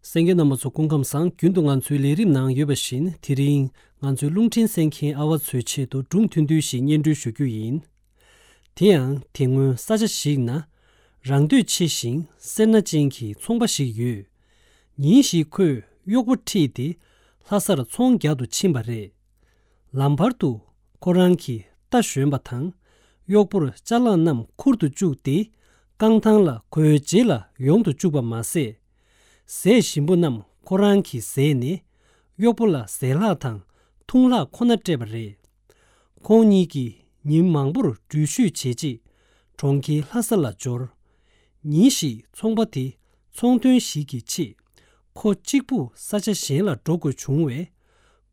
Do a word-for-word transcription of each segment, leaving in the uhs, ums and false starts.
གསན་མཁན་རྣམ་པ་ཚོ་སྐུ་ཁམས་བཟང་། རྒྱུན་དུ་ང་ཚོའི་ལས་རིམ་ནང་ཡོད་པ་བཞིན། དེ་རིང་ང་ཚོའི་རླུང་འཕྲིན་གསན་མཁན་ཨ་བ་ཚོའི་ཆེད་དུ་སྒྲུང་ཐུང་ཐུང་ཞིག་སྙན་སྒྲོན་ཞུ་རྒྱུ་ཡིན། དེ་ཡང་དེ་སྔོན་ས་ཆ་ཞིག་ན་རང་འདོད་ཆེ་ཞིང་སེར་སྣ་ཅན་གྱི་ཚོང་པ་ཞིག་ཡོད། ཉིན་ཞིག་ཁོས་གཡོག་པོ་ཁྲིད་དེ་ལྷ་སར་ཚོང་རྒྱག་ཏུ་ཕྱིན་པ་རེད། ལམ་བར་དུ་ཁོ་རང་གི་རྟ་ཞོན་པ་དང་གཡོག་པོར་ཅ་ལག་རྣམས་ཁུར་དུ་བཅུག་སྟེ་རྐང་ཐང་ལ་ཁོའི་རྗེས་ལ་ཡོང་དུ་བཅུག་པ་མ་ཟད། ཟས་ཞིམ་པོ་རྣམས་ཁོ་རང་གིས་བཟས་ནས་གཡོག་པོ་ལ་ཟས་ལྷག་དང་འཐུང་ལྷག་ཁོ་ན་སྤྲད་པ་རེད། ཁོང་གཉིས་ཀྱིས་ཉིན་མང་པོར་འགྲུལ་བཞུད་བྱས་རྗེས་གྲོང་ཁྱེར་ལྷ་ས་ལ་འབྱོར། ཉིན་ཞིག་ཚོང་པ་དེ་ཚོང་དོན་ཞིག་གི་ཆེད་ཁོ་གཅིག་པུ་ས་ཆ་གཞན་ལ་འགྲོ་དགོས་བྱུང་བས།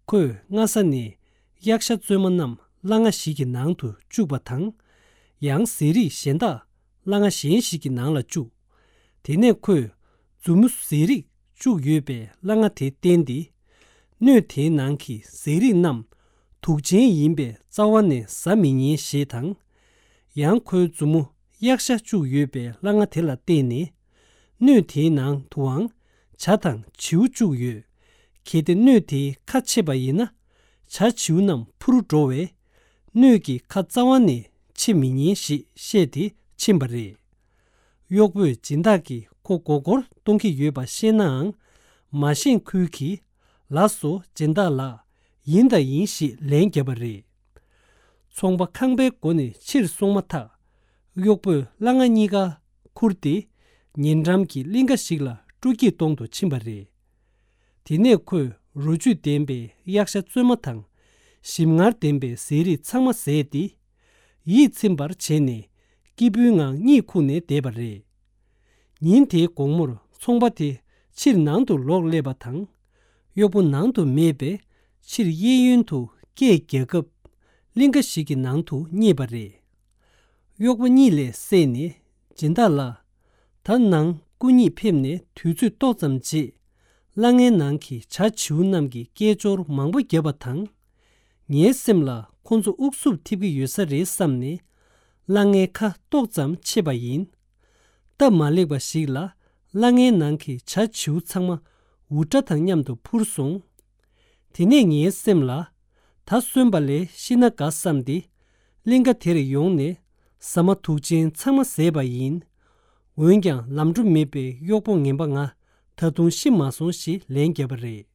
ཁོས་སྔ་ས་ནས་གཡག་ཤ་བཙོས་མ་རྣམས་སླ་ང་ཞིག་གི་ནང་དུ་བཅུག་པ་དང་། ཡང་ཟས་རིགས་གཞན་དག་སླ་ང་གཞན་ཞིག་གི་ནང་ལ་བཅུག་དེ་ནས་ཁོས་མཛུབ་མོ་ཟས་རིགས་བཅུག་ཡོད་པའི་སླ་ང་དེ་བསྟན་ཏེ། སྣོད་དེའི་ནང་གི་ཟས་རིགས་རྣམས་དུག་ཅན་ཡིན་པས་རྩ་བ་ནས་ཟ་མི་ཉན་ཞེས་དང་། ཡང་ཁོའི་མཛུབ་མོ་གཡག་ཤ་བཅུག་ཡོད་པའི་སླ་ང་དེ་ལ་བརྟེན་ནས། སྣོད་དེའི་ནང་དུའང་བྱ་དང་བྱིའུ་བཅུག་ཡོད། གལ་ཏེ་སྣོད་དེའི་ཁ་ཕྱེ་བ་ཡིན་ན། བྱ་བྱིའུ་རྣམས་འཕུར་འགྲོ་བས། སྣོད་ཀྱི་ཁ་རྩ་བ་ནས་ཕྱེ་མི་ཉན་ཞེས་བཤད་དེ་ཕྱིན་པ་རེད། གཡོག་པོས་སྦྱིན་བདག་གིས་ཁོ་མགོ་སྐོར་གཏོང་གི་ཡོད་པ་ཤེས་ནའང་། མ་ཤེས་ཁུལ་གྱིས། ལགས་སོ་སྦྱིན་བདག་ལགས། ཡིན་དང་ཡིན་ཞེས་ལན་བརྒྱབ་པ་རེད། ཚོང་པ་ཁང་པའི་སྒོ་ནས་ཕྱིར་སོང་མ་ཐག་གཡོག་པོས་སླ་ང་གཉིས་ཀ་ཁུར་ཏེ། ཉེ་འགྲམ་གྱི་གླིང་ག་ཞིག་ལ་སྤྲོ་སྐྱིད་གཏོང་དུ་ཕྱིན་པ་རེད། དེ་ནས་ཁོས་རོ་བཅུད་ལྡན་པའི་གཡག་ཤ་བཙོས་མ་དང་། ཞིམ་མངར་ལྡན་པའི་ཟས་རིགས་ཚང་མ་བཟས་ཏེ། ཡིད་ཚིམ་པར་བྱས་ནས་སྐྱིད་པོའི་ངང་གཉིད་ཁུག་ནས་བསྡད་པ་རེད། ཉིན་དེའི་དགོང་མོར་ཚོང་པ་དེ་ཕྱིར་ནང་དུ་ལོག་སླེབས་པ་དང་། གཡོག་པོ་ནང་དུ་མེད་པས་ཕྱིར་གཡས་གཡོན་དུ་སྐད་རྒྱག་སྐབས། གླིང་ག་ཞིག་གི་ནང་དུ་རྙེད་པ་རེད། གཡོག་པོ་གཉིད་ལས་སད་ནས་སྦྱིན་བདག་ལགས། ད་ནངས་སྐུ་ཉིད་ཕེབས་ནས་དུས་ཚོད་ཏོག་ཙམ་རྗེས། སླ་ངའི་ནང་གི་བྱ་བྱིའུ་རྣམས་ཀྱིས་སྐད་ཅོར་མང་པོ་བརྒྱབ་པ་དང་། ངའི་སེམས་ལ་ཁོ་ཚོ་དབུགས་སུབ་ཐེབས་ཀྱི་ཡོད་ས་རེད་བསམ་ནས། སླ་ངའི་ཁ་ཏོག་ཙམ་ཕྱེས་པ་ཡིན། སྟབས་མ་ལེགས་པ་ཞིག་ལ། སླ་ངའི་ནང་གི་བྱ་བྱིའུ་ཚང་མ་འུར་སྒྲ་དང་མཉམ་དུ་འཕུར་སོང་། དེ་ནས་ངའི་སེམས་ལ། ད་གསོན་པ་ལས་ཤི་ན་དགའ་བསམ་སྟེ། གླིང་ག་དེར་ཡོང་ནས་ཟ་མ་དུག་ཅན་ཚང་མ་བཟས་པ་ཡིན། འོན་ཀྱང་ལམ་འགྲོ་མེད་པའི་གཡོག་པོ་ངན་པ་ང་ད་དུང་ཤི་མ་སོང་ཞེས་ལན་བརྒྱབ་པ་རེད།